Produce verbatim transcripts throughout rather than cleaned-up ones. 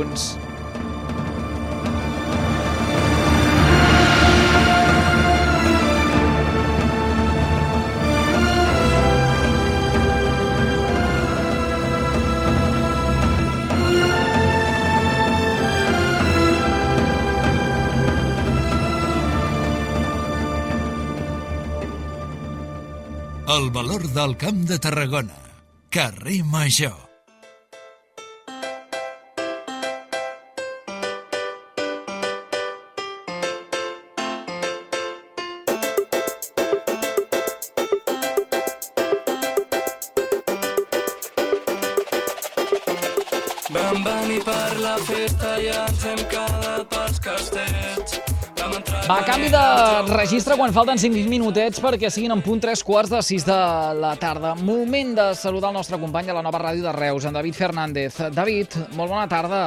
junts. El valor del Camp de Tarragona. Carrer Major. Vam venir per la festa i ens hem quedat pels castells. Va, canvi de registre quan falten cinc minutets perquè siguin en punt tres quarts de sis de la tarda. Moment de saludar el nostre company de la nova ràdio de Reus, en David Fernández. David, molt bona tarda.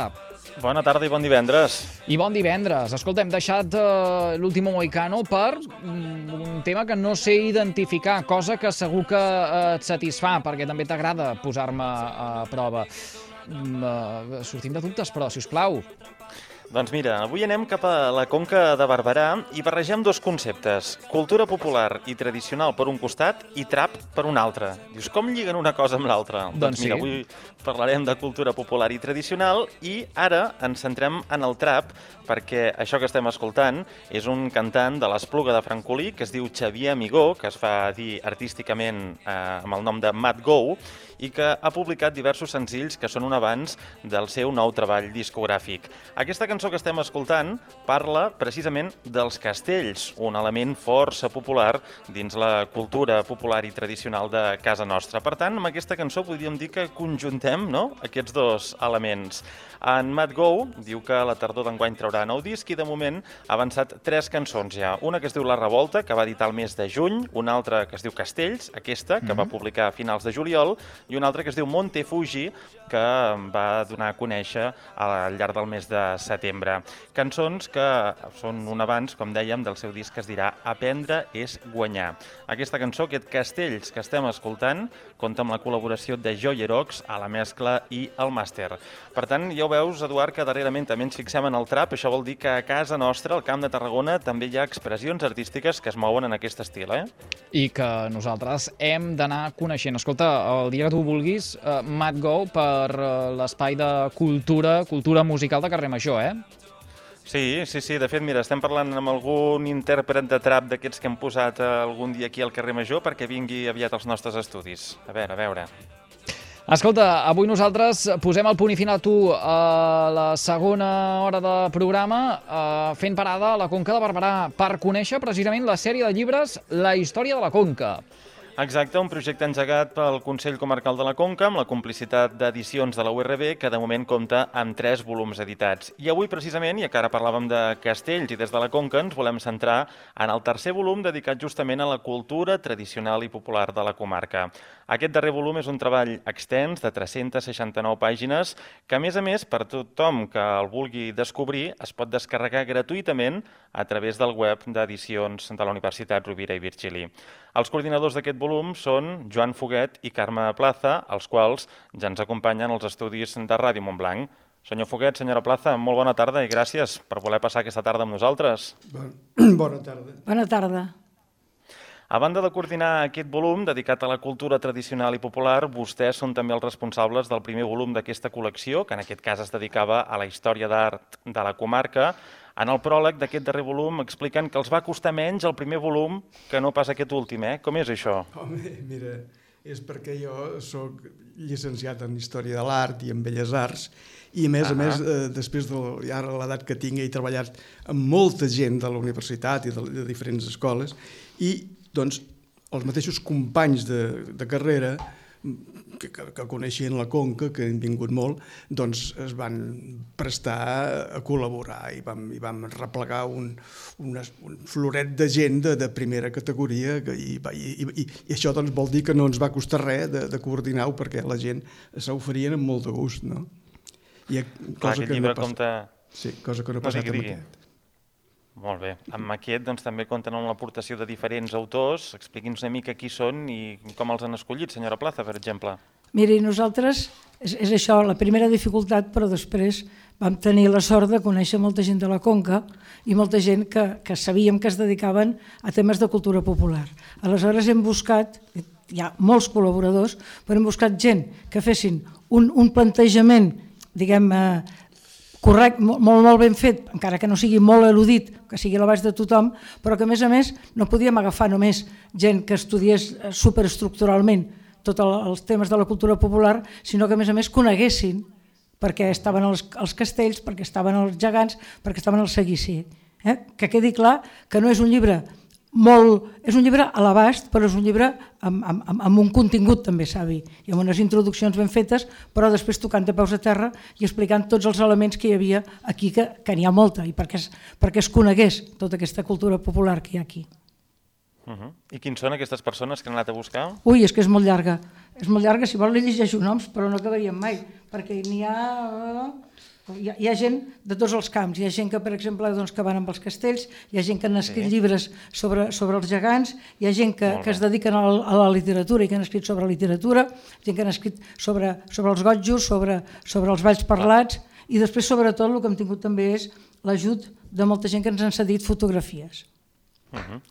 Bona tarda i bon divendres. I bon divendres. Escolta, hem deixat uh, l'últim Moicano per un tema que no sé identificar, cosa que segur que uh, et satisfà, perquè també t'agrada posar-me a prova. Uh, sortim de dubtes, però, si us plau. Doncs mira, avui anem cap a la Conca de Barberà i barregem dos conceptes, cultura popular i tradicional per un costat i trap per un altre. Dius, com lliguen una cosa amb l'altra? Doncs, doncs mira, sí. Avui parlarem de cultura popular i tradicional i ara ens centrem en el trap perquè això que estem escoltant és un cantant de l'Espluga de Francolí que es diu Xavier Amigó, que es fa dir artísticament eh, amb el nom de Matt Go, i que ha publicat diversos senzills que són un avanç del seu nou treball discogràfic. Aquesta cançó que estem escoltant parla precisament dels castells, un element força popular dins la cultura popular i tradicional de casa nostra. Per tant, amb aquesta cançó podríem dir que conjuntem, no?, aquests dos elements. En Matt Go diu que a la tardor d'enguany traurà nou disc i de moment ha avançat tres cançons ja. Una que es diu La Revolta, que va editar el mes de juny, una altra que es diu Castells, aquesta, que mm-hmm. va publicar a finals de juliol, i una altra que es diu Monte Fuji, que va donar a conèixer al llarg del mes de setembre. Cançons que són un avanç, com dèiem, del seu disc que es dirà Aprendre és guanyar. Aquesta cançó, aquest Castells que estem escoltant, compta amb la col·laboració de Joyerox a la mescla i al màster. Per tant, ja ho veus, Eduard, que darrerament també ens fixem en el trap. Això vol dir que a casa nostra, al Camp de Tarragona, també hi ha expressions artístiques que es mouen en aquest estil, eh? I que nosaltres hem d'anar coneixent. Escolta, el dia que tu vulguis, uh, Matt Go per uh, l'espai de cultura, cultura musical de Carrer Major, eh? Sí, sí, sí. De fet, mira, estem parlant amb algun intèrpret de trap d'aquests que hem posat algun dia aquí al Carrer Major perquè vingui aviat als nostres estudis. A veure, a veure... Escolta, avui nosaltres posem el punt i final a tu a la segona hora de programa eh, fent parada a la Conca de Barberà per conèixer precisament la sèrie de llibres La història de la Conca. Exacte, un projecte engegat pel Consell Comarcal de la Conca amb la complicitat d'edicions de la U R B que de moment compta amb tres volums editats. I avui precisament, ja que ara parlàvem de castells i des de la Conca, ens volem centrar en el tercer volum dedicat justament a la cultura tradicional i popular de la comarca. Aquest darrer volum és un treball extens de tres-centes seixanta-nou pàgines que, a més a més, per tothom que el vulgui descobrir, es pot descarregar gratuïtament a través del web d'edicions de la Universitat Rovira i Virgili. Els coordinadors d'aquest volum són Joan Foguet i Carme Plaza, els quals ja ens acompanyen als estudis de Ràdio Montblanc. Senyor Foguet, senyora Plaza, molt bona tarda i gràcies per voler passar aquesta tarda amb nosaltres. Bona tarda. Bona tarda. A banda de coordinar aquest volum dedicat a la cultura tradicional i popular, vostès són també els responsables del primer volum d'aquesta col·lecció, que en aquest cas es dedicava a la història d'art de la comarca. En el pròleg d'aquest darrer volum expliquen que els va costar menys el primer volum que no pas aquest últim, eh? Com és això? Home, mira, és perquè jo sóc llicenciat en Història de l'Art i en Belles Arts i a més a més, eh, després de ja l'edat que tinc, he treballat amb molta gent de la universitat i de, de diferents escoles i doncs els mateixos companys de, de carrera que, que, que coneixien la Conca, que han vingut molt, doncs es van prestar a col·laborar i vam, i vam replegar un, un, un floret de gent de, de primera categoria que, i, i, i, i això doncs vol dir que no ens va costar res de, de coordinar-ho perquè la gent s'oferien amb molt de gust, no? I, Clar, aquest llibre no compta... Sí, cosa que no ha passat amb aquest. Molt bé. Amb aquest doncs, també compten amb l'aportació de diferents autors. Expliqui'ns una mica qui són i com els han escollit, senyora Plaza, per exemple. Miri, nosaltres, és, és això, la primera dificultat, però després vam tenir la sort de conèixer molta gent de la Conca i molta gent que, que sabíem que es dedicaven a temes de cultura popular. Aleshores hem buscat, hi ha molts col·laboradors, però hem buscat gent que fessin un, un plantejament, diguem, eh, correcte, molt, molt ben fet, encara que no sigui molt erudit, que sigui a l'abast de tothom, però que a més a més no podíem agafar només gent que estudiés superestructuralment tots els temes de la cultura popular, sinó que a més a més coneguessin perquè estaven els, els castells, perquè estaven els gegants, perquè estaven al seguici. Eh? Que quedi clar que no és un llibre molt... És un llibre a l'abast, però és un llibre amb, amb, amb un contingut també, savi, i amb unes introduccions ben fetes, però després tocant de peus a terra i explicant tots els elements que hi havia aquí, que, que n'hi ha molta, i perquè es, perquè es conegués tota aquesta cultura popular que hi ha aquí. Uh -huh. I quins són aquestes persones que han anat a buscar? Ui, és que és molt llarga. És molt llarga, si vol li llegeixo noms, però no acabaríem mai, perquè n'hi ha... Hi ha, hi ha gent de tots els camps. Hi ha gent que, per exemple, doncs, que van amb els castells, hi ha gent que han escrit sí. llibres sobre, sobre els gegants, hi ha gent que, que es dediquen a la, a la literatura i que han escrit sobre literatura, gent que han escrit sobre, sobre els gotjos, sobre, sobre els balls parlats, i després, sobretot, el que hem tingut també és l'ajut de molta gent que ens han cedit fotografies. Uh -huh.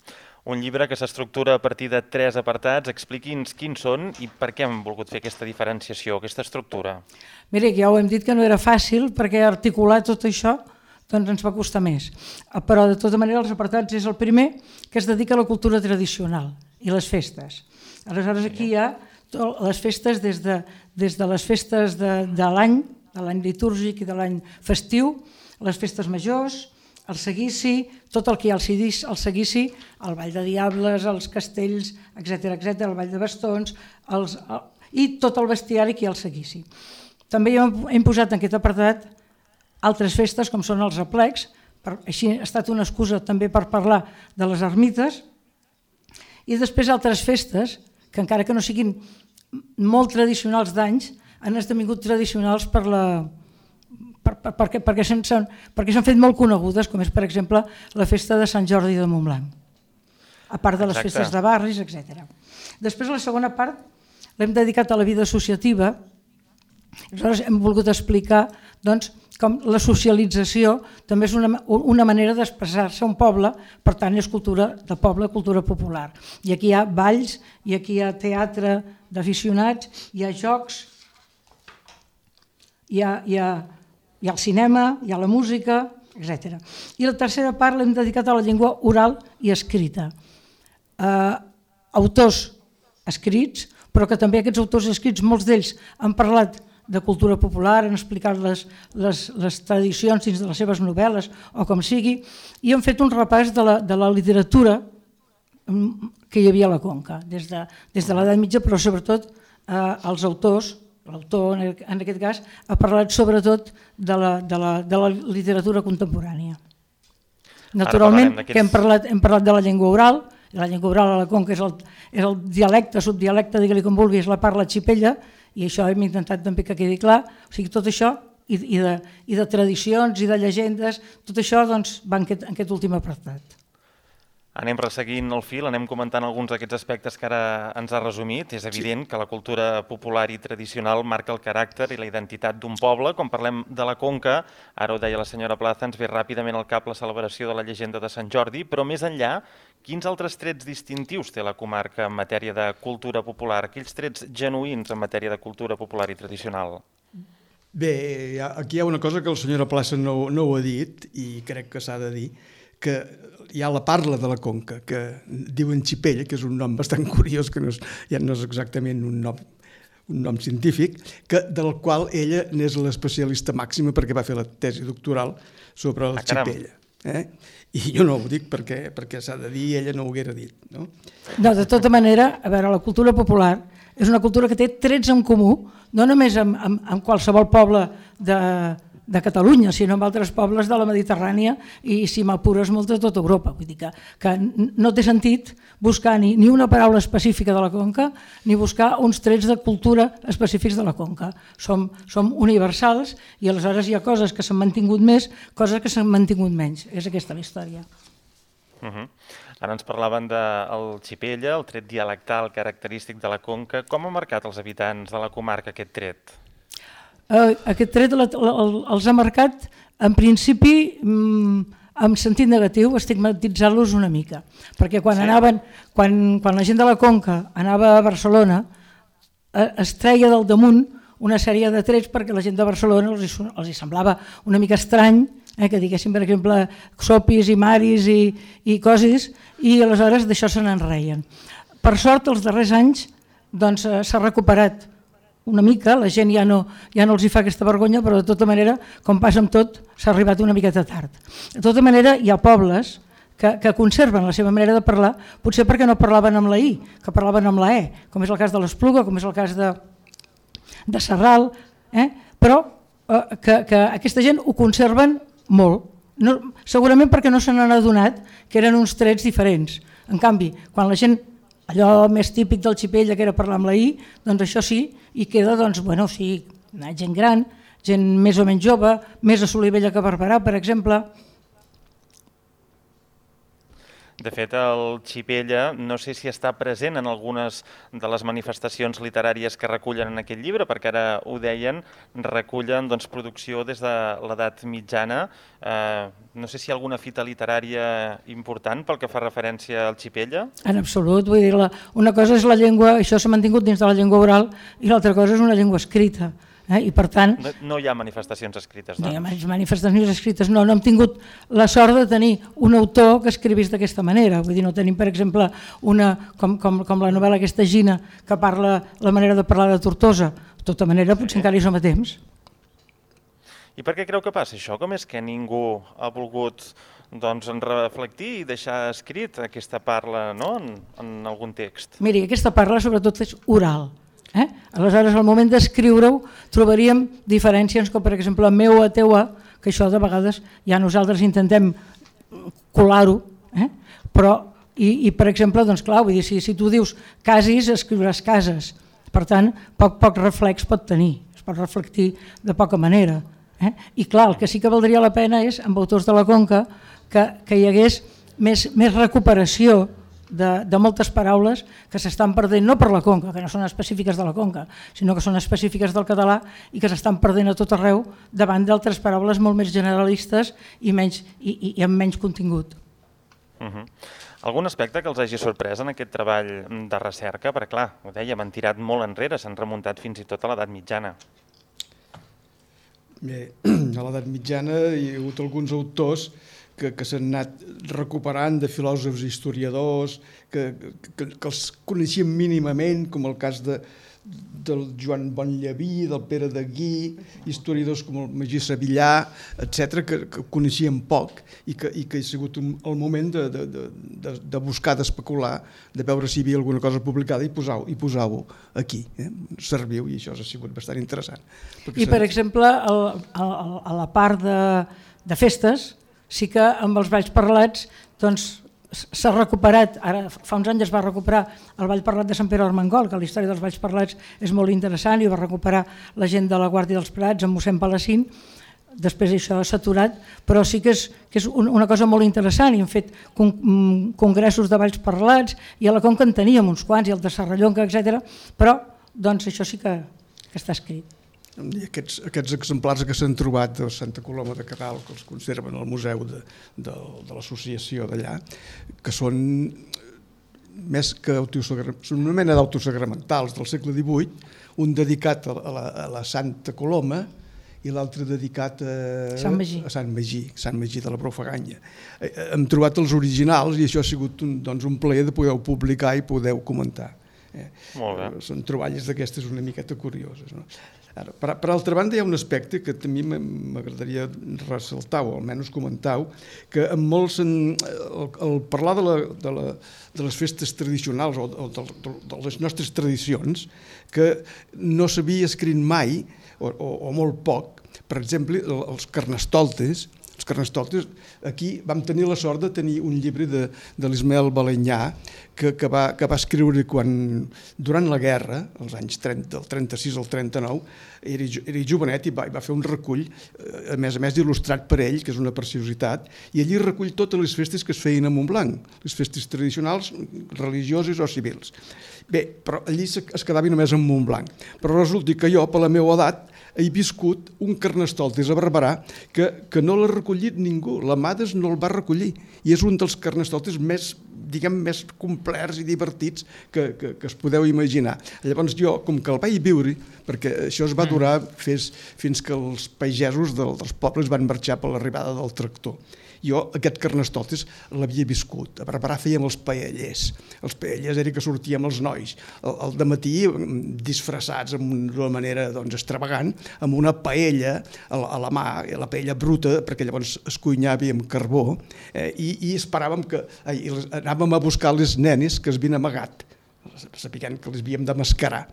Un llibre que s'estructura a partir de tres apartats. Expliqui'ns quins són i per què hem volgut fer aquesta diferenciació, aquesta estructura. Mira, ja ho hem dit que no era fàcil, perquè articular tot això doncs ens va costar més. Però, de tota manera, els apartats és el primer, que es dedica a la cultura tradicional i les festes. Aleshores, aquí hi ha les festes des de, des de les festes de, de l'any, de l'any litúrgic i de l'any festiu, les festes majors, el seguici, tot el que hi ha al seguici, el ball de diables, els castells, etcètera, etcètera, el ball de bastons, els, el, i tot el bestiari que hi ha al seguici. També hem, hem posat en aquest apartat altres festes, com són els aplecs, per, així ha estat una excusa també per parlar de les ermites, i després altres festes, que encara que no siguin molt tradicionals d'anys, han esdevingut tradicionals per la... Per, per, perquè perquè s'han fet molt conegudes, com és, per exemple, la festa de Sant Jordi de Montblanc, a part de les Exacte. festes de barris, etcètera. Després, la segona part l'hem dedicat a la vida associativa. Aleshores, hem volgut explicar doncs, com la socialització també és una, una manera d'expressar-se a un poble, per tant, és cultura de poble, cultura popular. I aquí hi ha balls, i aquí hi ha teatre d'aficionats, hi ha jocs, hi ha... Hi ha Hi ha el cinema, hi ha la música, etcètera. I la tercera part l'hem dedicat a la llengua oral i escrita. Eh, autors escrits, però que també aquests autors escrits, molts d'ells han parlat de cultura popular, han explicat les, les, les tradicions dins de les seves novel·les o com sigui, i han fet un repàs de la, de la literatura que hi havia a la Conca, des de, des de l'edat mitja, però sobretot eh, els autors. L'autor, en aquest cas, ha parlat sobretot de la, de la, de la literatura contemporània. Naturalment, que hem parlat, hem parlat de la llengua oral, i la llengua oral a la Conca és el, és el dialecte, subdialecte, digue-li com vulgui, és la parla xipella, i això hem intentat també que quedi clar. O sigui, tot això, i, i, de, i de tradicions, i de llegendes, tot això doncs, va en aquest, en aquest últim apartat. Anem resseguint el fil, anem comentant alguns d'aquests aspectes que ara ens ha resumit. És evident sí. que la cultura popular i tradicional marca el caràcter i la identitat d'un poble. Quan parlem de la Conca, ara ho deia la senyora Plaza, ens ve ràpidament al cap la celebració de la llegenda de Sant Jordi, però més enllà, quins altres trets distintius té la comarca en matèria de cultura popular, aquells trets genuïns en matèria de cultura popular i tradicional? Bé, aquí hi ha una cosa que la senyora Plaza no, no ho ha dit, i crec que s'ha de dir, que hi ha la parla de la Conca, que diuen xipella, que és un nom bastant curiós, que no és, ja no és exactament un nom, un nom científic, que, del qual ella n'és l'especialista màxima perquè va fer la tesi doctoral sobre el ah, xipella. Eh? I jo no ho dic perquè, perquè s'ha de dir, ella no ho haguera dit. No? No, de tota manera, a veure, la cultura popular és una cultura que té trets en comú, no només amb, amb, amb qualsevol poble de... de Catalunya, sinó amb altres pobles de la Mediterrània i, si m'apures, molt de tota Europa. Vull dir que, que no té sentit buscar ni, ni una paraula específica de la Conca ni buscar uns trets de cultura específics de la Conca. Som, som universals i aleshores hi ha coses que s'han mantingut més, coses que s'han mantingut menys. És aquesta la història. Uh -huh. Ara ens parlaven del xipella, el tret dialectal característic de la Conca. Com ha marcat els habitants de la comarca aquest tret? eh, aquest tret la, la, els ha marcat en principi en sentit negatiu, estigmatitzant-los una mica, perquè quan, sí. anaven, quan, quan la gent de la Conca anava a Barcelona eh, es treia del damunt una sèrie de trets perquè la gent de Barcelona els hi, els hi semblava una mica estrany, eh, que diguéssim per exemple sopis i maris i, i coses, i aleshores d'això se n'enreien. Per sort els darrers anys doncs, eh, s'ha recuperat una mica, la gent ja no, ja no els hi fa aquesta vergonya, però de tota manera, com passa amb tot, s'ha arribat una miqueta tard. De tota manera, hi ha pobles que, que conserven la seva manera de parlar, potser perquè no parlaven amb la I, que parlaven amb la E, com és el cas de l'Espluga, com és el cas de, de Sarral, eh? però eh, que, que aquesta gent ho conserven molt, no, segurament perquè no se n'han adonat que eren uns trets diferents. En canvi, quan la gent allò més típic del Xipella, que era parlar amb la I, doncs això sí, i queda, doncs, bueno, sí, gent gran, gent més o menys jove, més a Solivella que a Barberà, per exemple. De fet, el Xipella no sé si està present en algunes de les manifestacions literàries que recullen en aquest llibre, perquè ara ho deien, recullen doncs, producció des de l'edat mitjana. Eh, no sé si hi ha alguna fita literària important pel que fa referència al Xipella. En absolut, vull dir, la, una cosa és la llengua, això s'ha mantingut dins de la llengua oral, i l'altra cosa és una llengua escrita. Eh? I per tant, no, no hi ha manifestacions escrites, no? No hi ha manifestacions escrites, no, no hem tingut la sort de tenir un autor que escrivís d'aquesta manera, vull dir, no tenim per exemple una, com, com, com la novel·la aquesta Gina, que parla la manera de parlar de Tortosa, de tota manera potser sí. Encara hi som a temps. I per què creu que passa això? Com és que ningú ha volgut doncs, reflectir i deixar escrit aquesta parla, no? en, en algun text? Miri, aquesta parla sobretot és oral. Eh? Aleshores, al moment d'escriure-ho, trobaríem diferències com, per exemple, meu a teu a, que això de vegades ja nosaltres intentem colar-ho, eh? però, i, i per exemple, doncs clar, vull dir, si, si tu dius casis, escriuràs cases, per tant, poc, poc reflex pot tenir, es pot reflectir de poca manera. Eh? I clar, el que sí que valdria la pena és, amb autors de la Conca, que, que hi hagués més, més recuperació De, de moltes paraules que s'estan perdent, no per la Conca, que no són específiques de la Conca, sinó que són específiques del català i que s'estan perdent a tot arreu davant d'altres paraules molt més generalistes i, menys, i, i, i amb menys contingut. Uh-huh. Algun aspecte que els hagi sorprès en aquest treball de recerca? Perquè clar, ho dèiem, han tirat molt enrere, s'han remuntat fins i tot a l'edat mitjana. Bé, a l'edat mitjana hi ha hagut alguns autors que, que s'han anat recuperant de filòsofs i historiadors, que, que, que els coneixien mínimament, com el cas de, del Joan Bonllaví, del Pere de Guí, historiadors com el Magí Sevillà, etcètera, que, que coneixien poc i que, i que ha sigut un, el moment de, de, de, de buscar, d'especular, de veure si hi havia alguna cosa publicada i posar-ho i posar-ho aquí. Eh? Serviu, i això ha sigut bastant interessant. I, per exemple, el, el, a la part de, de festes, sí que amb els balls parlats doncs, s'ha recuperat, ara fa uns anys es va recuperar el ball parlat de Sant Pere d'Armengol, que la història dels balls parlats és molt interessant i ho va recuperar la gent de la Guàrdia dels Prats amb mossèn Palacín, després això s'ha aturat, però sí que és, que és una cosa molt interessant i hem fet con congressos de balls parlats i a la Conca en teníem uns quants i el de Serrallonga, etcètera, però doncs, això sí que, que està escrit. I aquests, aquests exemplars que s'han trobat de Santa Coloma de Queralt, que els conserven al museu de, de, de l'associació d'allà, que són més que són una mena d'autosagramentals del segle divuit, un dedicat a la, a la Santa Coloma i l'altre dedicat a Sant Magí. a Sant Magí, Sant Magí de la Profaganya. Hem trobat els originals i això ha sigut un, doncs, un plaer de poder-ho publicar i poder-ho comentar. Eh? Molt bé. Són troballes d'aquestes una miqueta curioses. No? Ara, per, per altra banda, hi ha un aspecte que també m'agradaria ressaltar, o almenys comentar, que en molts, en, el, el parlar de, la, de, la, de les festes tradicionals o de, de, de les nostres tradicions, que no s'havia escrit mai, o, o, o molt poc, per exemple, els carnestoltes. Els carnestoltes, aquí vam tenir la sort de tenir un llibre de, de l'Ismael Balenyà que, que, va, que va escriure quan, durant la guerra, als anys trenta, del trenta-sis al trenta-nou, era, era jovenet i va, va fer un recull, a més a més il·lustrat per ell, que és una preciositat, i allí recull totes les festes que es feien a Montblanc, les festes tradicionals, religioses o civils. Bé, però allí es quedava només en Montblanc. Però resulta que jo, per la meva edat, he viscut un carnestoltes a Barberà que, que no l'ha recollit ningú, l'Amades no el va recollir, i és un dels carnestoltes més, diguem, més complerts i divertits que, que, que es podeu imaginar. Llavors jo, com que el vaig viure, perquè això es va durar fins, fins que els pagesos del, dels pobles van marxar per l'arribada del tractor. Jo aquest carnestoltes l'havia viscut. A Barberà fèiem els paellers. Els paellers era que sortíem els nois al, al dematí disfressats d'una manera doncs, extravagant, amb una paella a la, a la mà, la paella bruta, perquè llavors es cuinava amb carbó, eh, i, i esperàvem que... Eh, i les, anàvem a buscar les nenes que es havien amagat, sapiguent que les havíem de mascarar.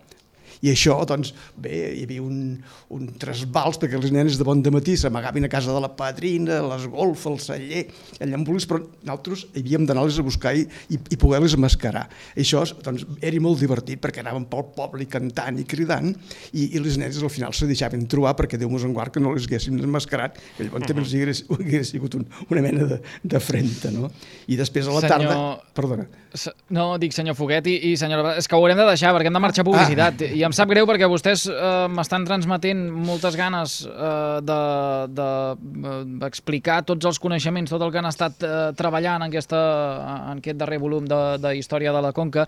I això, doncs, bé, hi havia un, un trasbals, perquè les nenes de bon dematí s'amagaven a casa de la padrina, a les golfes, al celler, allà en volis, però nosaltres havíem d'anar-les a buscar i, i, i poder-les mascarar. Això, doncs, era molt divertit, perquè anàvem pel poble cantant i cridant, i, i les nenes al final se deixaven trobar, perquè Déu mos en guard que no les haguéssim mascarat, que llavors també els hagués, hagués sigut un, una mena de, de frenta, no? I després a la senyor... tarda... Perdona. No, dic senyor Foguet i, i senyora... És que ho haurem de deixar, perquè hem de marxar a publicitat. Ah. I em sap greu perquè vostès eh, m'estan transmetent moltes ganes eh, d'explicar de, de, tots els coneixements, tot el que han estat eh, treballant en, aquesta, en aquest darrer volum de, de Història de la Conca,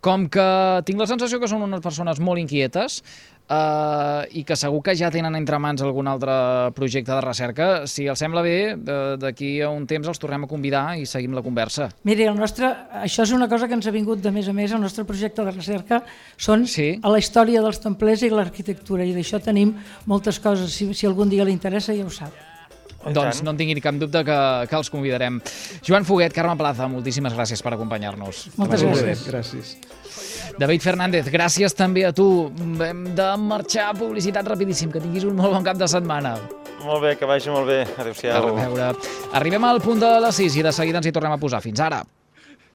com que tinc la sensació que són unes persones molt inquietes, Uh, i que segur que ja tenen entre mans algun altre projecte de recerca. Si els sembla bé, d'aquí a un temps els tornem a convidar i seguim la conversa. Miri, el nostre, això és una cosa que ens ha vingut de més a més. El nostre projecte de recerca són sí. a la història dels templers i l'arquitectura, i d'això tenim moltes coses. Si, si algun dia li interessa, ja ho sap. Doncs no en tingui cap dubte que, que els convidarem. Joan Foguet, Carme Plaza, moltíssimes gràcies per acompanyar-nos. Moltes gràcies. gràcies. David Fernández, gràcies també a tu. Hem de marxar a publicitat rapidíssim. Que tinguis un molt bon cap de setmana. Molt bé, que vagi molt bé. Adéu-siau. A reveure. Arribem al punt de les sis i de seguida ens hi tornem a posar. Fins ara.